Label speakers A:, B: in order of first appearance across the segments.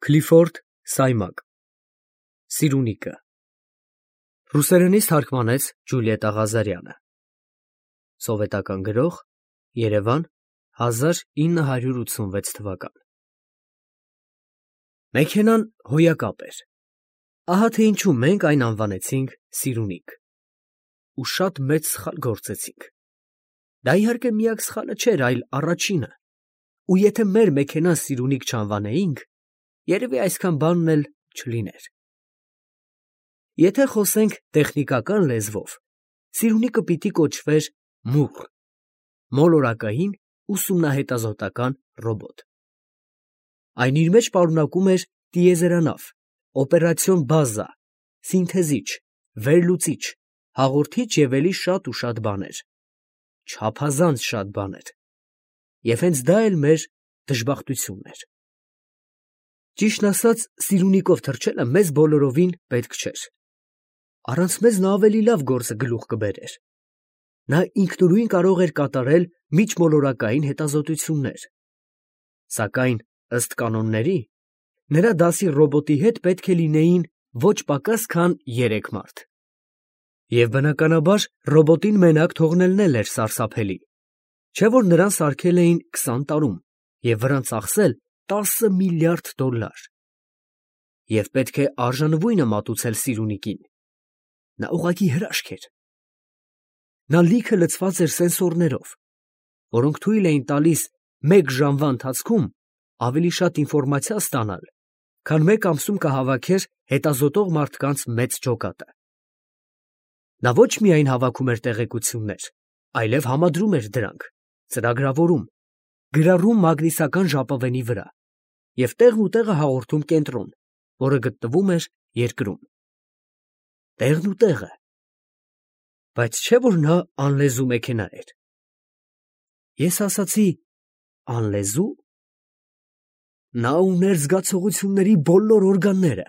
A: Քլիֆորդ Սայմակ Սիրունիկը Ռուսերենից թարգմանեց Ջուլիետտա Ղազարյանը Սովետական գրող Երևան 1986 թվական Մեքենան հոյակապ էր Ահա թե ինչու մենք այն անվանեցինք Սիրունիկ ու շատ մեծ սխալ գործեցինք Դա իհարկե միակ սխալը չէր, այլ առաջինը ու եթե մեր մեքենան Սիրունիկ չանվանեինք երևի այսքան բանն էլ չլիներ Եթե խոսենք տեխնիկական լեզվով Սիրունիկը պիտի կոչվեր մուղ մոլորակային ուսումնահետազոտական ռոբոտ Այն իր մեջ պարունակում էր տիեզերանավ, օպերացիոն բազա, սինթեզիչ, վերլուծիչ, հաղորդիչ և էլի շատ ու շատ բաներ, չափազանց շատ բաներ, և հենց դա էլ մեր դժբախտությունն էր։ Ճիշտն ասած, Սիրունիկով թռչելը մեզ բոլորովին պետք չէր։ Առանց մեզ նա ավելի լավ գործը գլուխ կբերեր։ Նա ինքնուրույն կարող էր կատարել միջմոլորակային հետազոտություններ։ Սակայն, ըստ կանոնների, նրա դասի ռոբոտի հետ պետք է լինեին ոչ պակաս քան 3 մարդ։ Եվ բնականաբար ռոբոտին մենակ թողնելն էլ էր սարսափելի, չէ՞ որ նրան սարքել էին 20 տարում և վրան ծախսել $10 միլիարդ։ Եվ պետք է արժանվույնը մատուցել Սիրունիկին։ Նա ուղղակի հրաշք էր։ Նա լիքը լցված էր սենսորներով, որոնք թույլ էին տալիս մեկ ժամվա ընթացքում ավելի շատ ինֆորմացիա ստանալ, քան մեկ ամսում կհավաքեր հետազոտող մարդկանց մեծ ջոկատը։ Նա ոչ միայն հավաքում էր տեղեկություններ, այլև համադրում էր դրանք, ծրագրավորում, գրառում մագնիսական ժապավենի վրա և տեղն ու տեղը հաղորդում կենտրոն, որը գտնվում էր երկրում։ Տեղն ու տեղը։ Բայց չէ՞ որ նա անլեզու մեքենա էր։ Ես ասացի. անլեզու։ Նա ուներ զգացողությունների բոլոր օրգանները,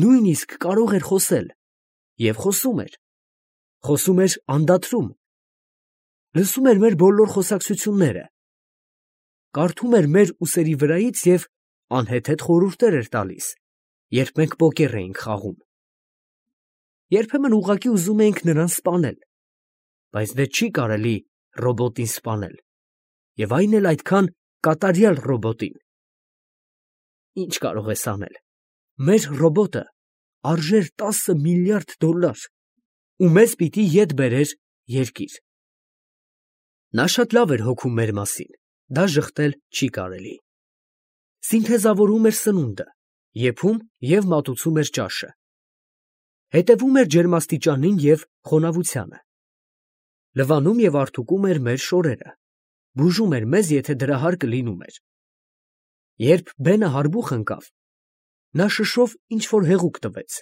A: նույնիսկ կարող էր խոսել և խոսում էր։ Խոսում էր անդադրում։ Լսում էր մեր բոլոր խոսակցությունները։ Կարդում էր մեր ուսերի վրայից և անհեթեթ խորհուրդներ էր տալիս, երբ մենք պոկեր էինք խաղում։ Երբեմն ուղղակի ուզում էինք նրան սպանել, բայց դե չի կարելի ռոբոտին սպանել, և այն էլ այդքան կատարյալ ռոբոտին։ Ինչ կարող ես անել։ Մեր ռոբոտը արժեր $10 միլիարդ ու մեզ պիտի ետ բերեր երկիր։ Նա շատ լավ էր հոգում մեր մասին, դա ժխտել չի կարելի։ Սինթեզավորում էր սնունդը, եփում և մատուցում էր ճաշը։ Հետևում էր ջերմաստիճանին և խոնավությանը։ Լվանում և արդուկում էր մեր շորերը, բուժում էր մեզ, եթե դրա հարկը լինում էր։ Երբ բենը հարբուխ ընկավ, նա շշով ինչ֊որ հեղուկ տվեց,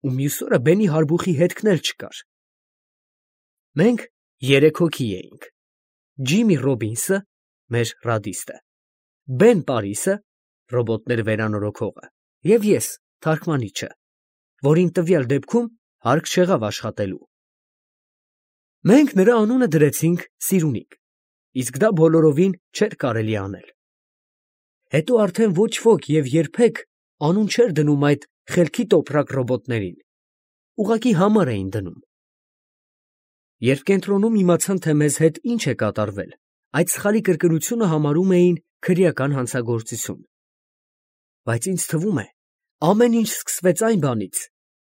A: ու մյուս օրը բենի հարբուխի հետքն էլ չկար։ Մենք 3 հոգի էինք. Ջիմի Ռոբինսը, մեր ռադիստը, Բեն Պարիսը, ռոբոտներ վերանորոգողը, և ես, թարգմանիչը, որին տվյալ դեպքում հարկ չեղավ աշխատելու։ Մենք նրա անունը դրեցինք Սիրունիկ, իսկ դա բոլորովին չէր կարելի անել։ Հետո արդեն ոչ ոք և երբեք անուն չէր դնում այդ խելքի տոպրակ ռոբոտներին, ուղղակի համար էին դնում։ Երբ կենտրոնում իմացան, թե մեզ հետ ինչ է կատարվել, այդ սխալի կրկնությունը համարում էին քրեական հանցագործություն։ Բայց ինձ թվում է, ամեն ինչ սկսվեց այն բանից,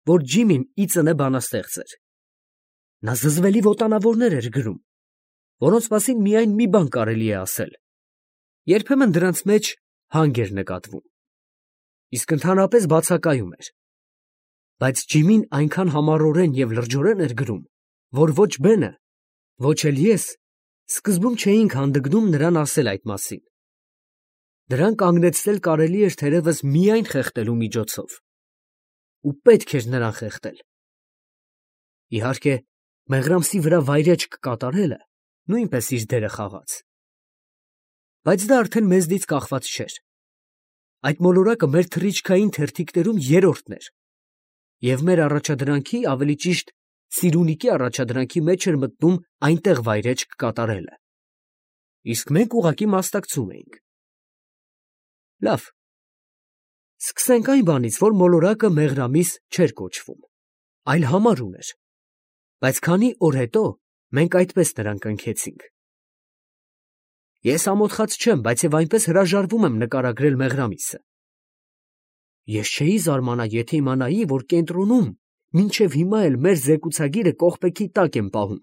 A: որ Ջիմին ի ծնե բանաստեղծ էր։ Նա զզվելի ոտանավորներ էր գրում, որոնց մասին միայն մի բան կարելի է ասել. երբեմն դրանց մեջ հանգ էր նկատվում, իսկ ընդհանրապես բացակայում էր։ Բայց Ջիմին այնքան համառորեն և լրջորեն էր գրում, որ ոչ Բենը, ոչ էլ ես սկզբում չէինք հանդգնում նրան ասել այդ մասին։ Դրան կանգնեցնել կարելի էր թերևս միայն խեղդելու միջոցով։ Ու պետք էր նրան խեղդել։ Իհարկե, մեղրամսի վրա վայրէջք կատարելը նույնպես իր դերը խաղաց։ Բայց դա արդեն մեզնից կախված չէր։ Այդ մոլորակը մեր թռիչքային թերթիկներում երրորդն էր, և մեր առաջադրանքի, ավելի ճիշտ Սիրունիկի առաջադրանքի մեջ էր մտնում այնտեղ վայրէջք կատարելը։ Իսկ մենք ուղղակի մասնակցում էինք։ Լավ, Սկսենք այն բանից, որ մոլորակը մեղրամիս չէր կոչվում, այլ համար ուներ, բայց քանի օր հետո մենք այդպես նրան կնքեցինք։ Ես ամոթխած չեմ, բայց եւ այնպես հրաժարվում եմ նկարագրել մեղրամիսը։ Ես չէի զարմանա, եթե իմանայի, որ կենտրոնում մինչև հիմա էլ մեր զեկուցագիրը կողպեքի տակ եմ պահում։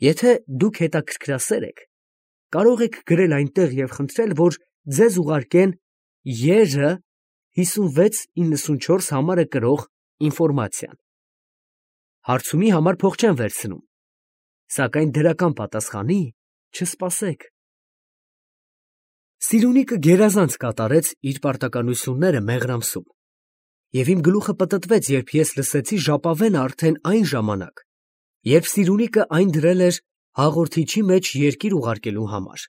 A: Եթե դուք հետաքրքրասեր եք, կարող եք գրել այնտեղ եւ խնդրել, որ ձեզ ուղարկեն Ե.Ռ. 5694 համարը կրող ինֆորմացիան։ Հարցումի համար փող չեմ վերցնում, սակայն դրական պատասխանի չսպասեք։ Սիրունիկը գերազանց կատարեց իր պարտականությունները Մեղրամսում, և իմ գլուխը պտտվեց, երբ ես լսեցի ժապավենը արդեն այն ժամանակ, երբ Սիրունիկը այն դրել էր հաղորդիչի մեջ երկիր ուղարկելու համար։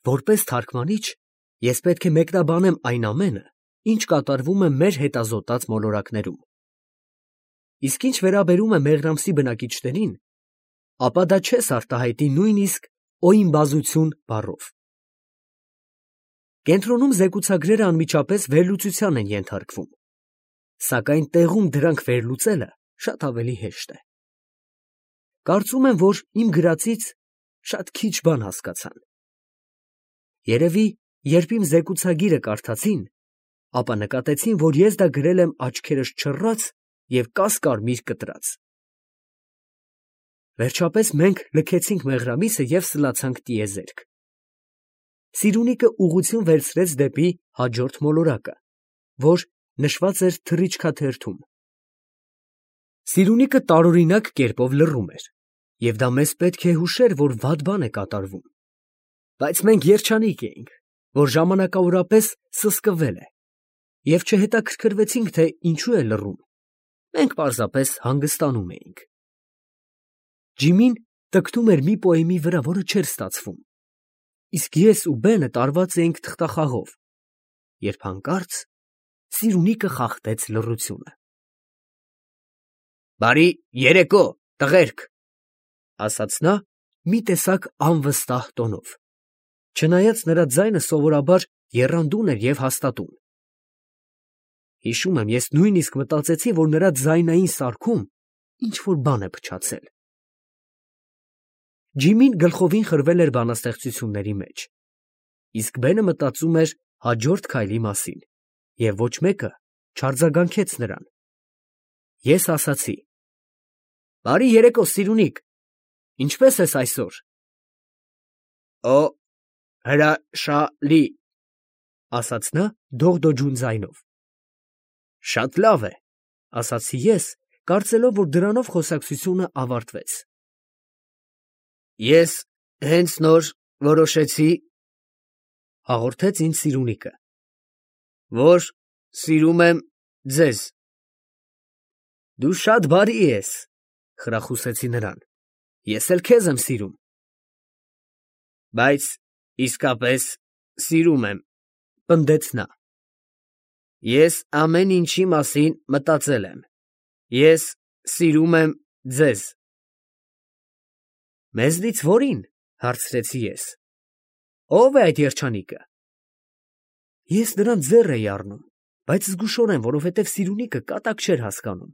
A: Որպես թարգմանիչ, ես պետք է մեկնաբանեմ այն ամենը, ինչ կատարվում է մեր հետազոտած մոլորակներում։ Իսկ ինչ վերաբերում է Մեղրամսի բնակիչներին, ապա դա չես արտահայտի նույնիսկ օիմբազություն բառով։ Կենտրոնում զեկուցագրերը անմիջապես վերլուծության են ենթարկվում, սակայն տեղում դրանք վերլուծելը շատ ավելի հեշտ է։ Կարծում եմ, որ իմ գրածից շատ քիչ բան հասկացան։ Երևի, երբ իմ զեկուցագիրը կարդացին, ապա նկատեցին, որ ես դա գրել եմ աչքերս չռած և կասկարմիր կտրած։ Վերջապես մենք լքեցինք Մեղրամիսը և սլացանք տիեզերք։ Սիրունիկը ուղղություն վերցրեց դեպի հաջորդ մոլորակը, որ նշված էր թռիչքաթերթում։ Սիրունիկը տարօրինակ կերպով լռում էր, և դա մեզ պետք է հուշեր, որ վատ բան է կատարվում։ Բայց մենք երջանիկ էինք, որ ժամանակավորապես սսկվել է, և չհետաքրքրվեցինք, թե ինչու է լռում, մենք պարզապես հանգստանում էինք։ Ջիմին տկտում էր մի պոեմի վրա, որը չէր ստացվում, իսկ ես ու Բենը տարված էինք թղթախաղով, երբ հանկարծ Սիրունիկը խախտեց լռությունը։ «Բարի երեկո, տղերք», ֊ ասաց նա մի տեսակ անվստահ տոնով, չնայած նրա ձայնը սովորաբար եռանդուն էր և հաստատուն։ Հիշում եմ, ես նույնիսկ մտածեցի, որ նրա ձայնային սարքում ինչ֊որ բան է փչացել։ Ջիմին գլխովին խրվել էր բանաստեղծությունների մեջ, իսկ Բենը մտածում էր հաջորդ քայլի մասին, և ոչ մեկը չարձագանքեց նրան։ Ես ասացի. «Բարի երեկո, Սիրունիկ, ինչպե՞ս ես այսօր»։ «Օ, հրաշալի», ֊ ասաց նա դողդոջուն ձայնով։ «Շատ լավ է», ֊ ասացի ես, կարծելով, որ դրանով խոսակցությունը ավարտվեց։ «Ես հենց նոր որոշեցի, ֊ հաղորդեց ինձ Սիրունիկը, ֊ որ սիրում եմ ձեզ»։ «Դու շատ բարի ես», ֊ խրախուսեցի նրան, ֊ ես էլ քեզ եմ սիրում։ «Բայց իսկապես սիրում եմ», ֊ պնդեց նա։ «Ես ամեն ինչի մասին մտածել եմ, ես սիրում եմ ձեզ»։ «Մեզնից որի՞ն», ֊ հարցրեցի ես։ «Ո՞վ է այդ երջանիկը»։ Ես նրան ձեռ էի առնում, բայց զգուշորեն, որովհետև Սիրունիկը կատակ չէր հասկանում։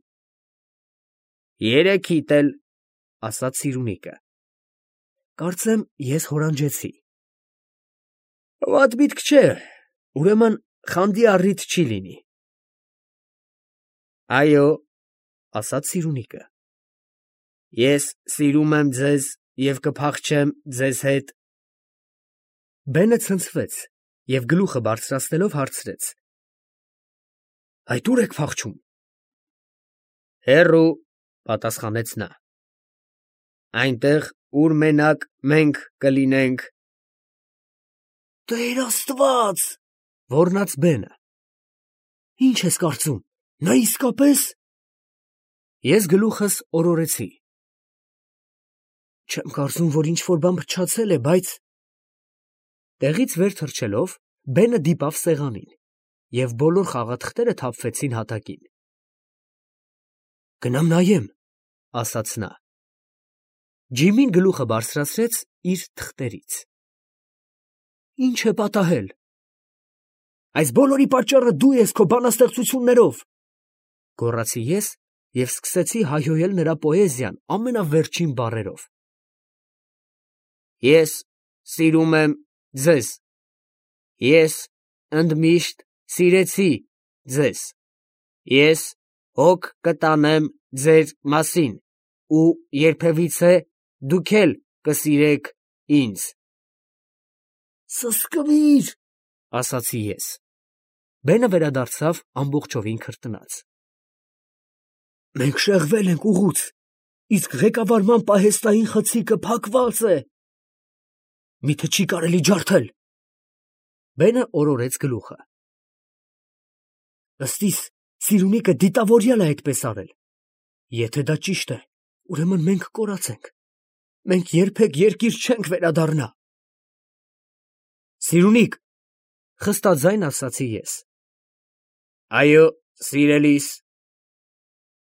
A: «Երեքիդ էլ», ֊ ասաց Սիրունիկը։ Կարծեմ, ես հորանջեցի։ «Վատ միտք չէ, ուրեմն խանդի առիթ չի լինի»։ «Այո», ֊ ասաց Սիրունիկը, «ես սիրում եմ ձեզ և կփախչեմ ձեզ հետ»։ Բենը ցնցվեց և գլուխը բարձրացնելով հարցրեց. «Այդ ո՞ւր եք փախչում»։ «Հեռու», ֊ պատասխանեց նա, «այնտեղ, ուր մենակ մենք կլինենք»։ «Տեր Աստված», ֊ ոռնաց Բենը, «ի՞նչ ես կարծում, նա իսկապես…»։ Ես գլուխս օրորեցի։ «Չեմ կարծում, որ ինչ֊որ բան փչացել է, բայց…»։ Տեղից վեր թռչելով, Բենը դիպավ սեղանին, և բոլոր խաղաթղթերը թափվեցին հատակին։ «Գնամ նայեմ», ֊ ասաց նա։ Ջիմին գլուխը բարձրացրեց իր թղթերից։ «Ի՞նչ է պատահել»։ Այս բոլորի պատճառը դու ես քո բանաստեղծություններով, գոռացի ես և սկսեցի հայհոյել նրա պոեզիան ամենավերջին բառերով. Ես սիրում եմ ձեզ, ես ընդմիշտ սիրեցի ձեզ, ես հոգ կտանեմ ձեր մասին ու երբևիցե դուք էլ կսիրեք ինձ։ Սսկվիր, ասացի ես։ Բենը վերադարձավ ամբողջովին քրտնած։ Մենք շեղվել ենք ուղուց, իսկ ղեկավարման պահեստային խցիկը փակված է։ Միթե չի կարելի ջարդել։ Բենը օրորեց գլուխը։ Ըստ իս, Սիրունիկը դիտավորյալ է այդպես արել։ Եթե դա ճիշտ է, ուրեմն մենք կորացենք։ Մենք երբեք երկիր չենք վերադառնա։ Սիրունիկ, խստաձայն ասացի ես։ Այո, սիրելիս։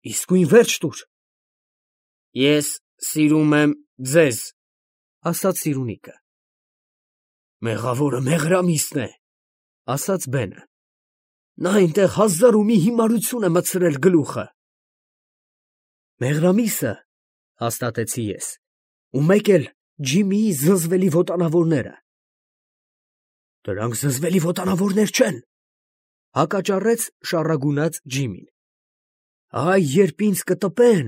A: Իսկույն վերջ տուր։ Ես սիրում եմ ձեզ, ասաց Սիրունիկը։ Մեղավորը Մեղրամիսն է, ասաց Բենը։ Նա այնտեղ հազար ու մի հիմարություն է մտցրել գլուխը։ Մեղրամիսը, հաստատեցի ես, ու մեկ էլ Ջիմիի զզվելի ոտանավորները։ Դրանք զզվելի ոտանավորներ չեն, հակաճառեց շառագունած Ջիմին։ Այ երբ ինձ կտպեն։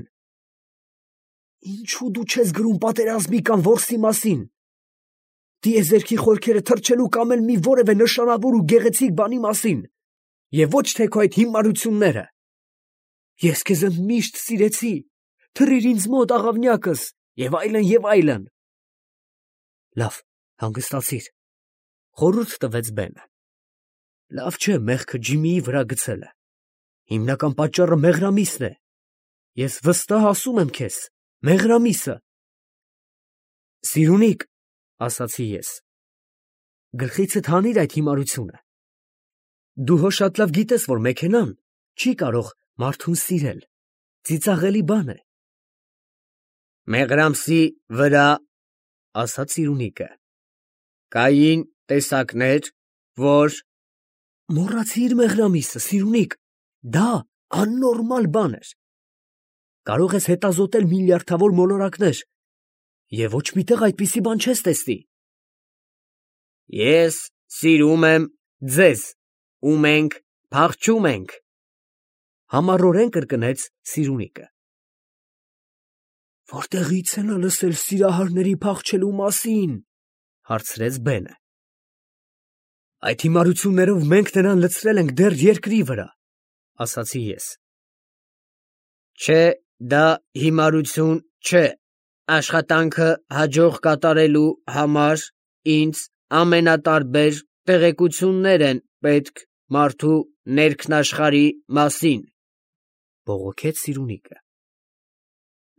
A: Ինչու դու չես գրում պատերազմի կամ որսի մասին։ Տիեզերքի խորքերը թռչելու կամ էլ մի որևէ նշանավոր ու գեղեցիկ բանի մասին, և ոչ թե քո այդ հիմարությունները։ Ես քեզ միշտ սիրեցի, թռիր ինձ մոտ աղավնյակս, և այլն, և այլն։ Լավ, հանգստացիր, խորհուրդ տվեց Բենը։ Լավ չէ մեղքը Ջիմիի վրա գցելը։ Հիմնական պատճառը Մեղրամիսն է։ Ես վստահ ասում եմ քեզ, Մեղրամիսը։ Սիրունիկ, ասացի ես, գլխիցդ հանիր այդ հիմարությունը։ Դու հո շատ լավ գիտես, որ մեքենան չի կարող մարդուն սիրել, ծիծաղելի բան է։ Մեղրամսի վրա, ասաց Սիրունիկը, կային տեսակներ, որ… Մոռացիր Մեղրամիսը, Սիրունիկ, դա աննորմալ բան էր։ Կարող ես հետազոտել միլիարդավոր մոլորակներ, և ոչ մի տեղ այդպիսի բան չես տեսնի։ Ես սիրում եմ ձեզ, ու մենք փախչում ենք, համառորեն կրկնեց Սիրունիկը։ Որտեղի՞ց է նա լսել սիրահարների փախչելու մասին, հարցրեց Բենը։ Այդ հիմարություններով մենք նրան լցրել ենք դեռ երկրի վրա, ասացի ես։ Չէ, դա հիմարություն չէ, աշխատանքը հաջող կատարելու համար ինձ ամենատարբեր տեղեկություններ են պետք մարդու ներքնաշխարհի մասին, բողոքեց Սիրունիկը։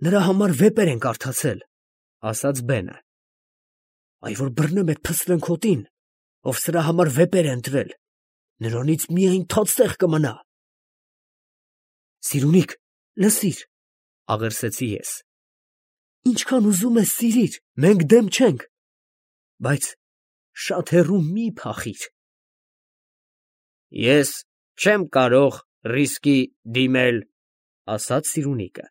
A: Նրա համար վեպեր են կարդացել, ասաց Բենը։ Այ որ բռնեմ այդ փսլնքոտին, ով սրա համար վեպեր է ընտրել, նրանից միայն թաթստեղ կմնա։ Սիրունիկ, լսիր, աղերսեցի ես։ Ինչքան ուզում ես սիրիր, մենք դեմ չենք, բայց շատ հեռու մի փախիր։ Ես չեմ կարող ռիսկի դիմել, ասաց Սիրունիկը։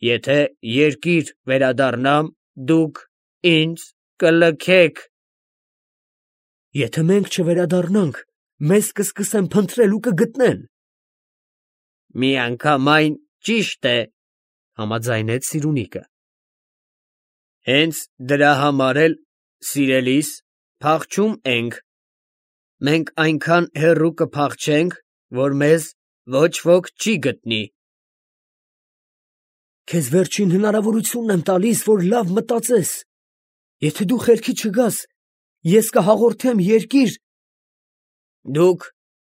A: Եթե երկիր վերադառնամ, դուք ինձ կլքեք։ Եթե մենք չվերադառնանք, մեզ կսկսեն փնտրել ու կգտնեն։ Միանգամայն ճիշտ է, համաձայնեց Սիրունիկը։ Հենց դրա համար էլ, սիրելիս, փախչում ենք։ Մենք այնքան հեռու կփախչենք, որ մեզ ոչ ոք չի գտնի։ Քեզ վերջին հնարավորությունն եմ տալիս, որ լավ մտածես։ Եթե դու խելքի չգաս, ես կհաղորդեմ երկիր։ Դուք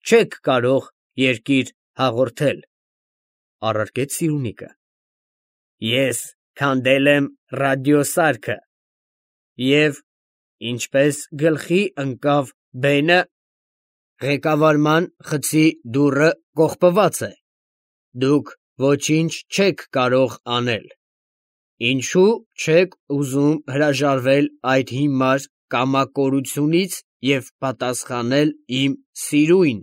A: չեք կարող երկիր հաղորդել, առարկեց Սիրունիկը։ Ես քանդել եմ ռադիոսարքը, և ինչպես գլխի ընկավ Բենը, ղեկավարման խցի դուռը կողպված է։ Դուք ոչինչ չեք կարող անել։ Ինչու չեք ուզում հրաժարվել այդ հիմար կամակորությունից և պատասխանել իմ սիրուն։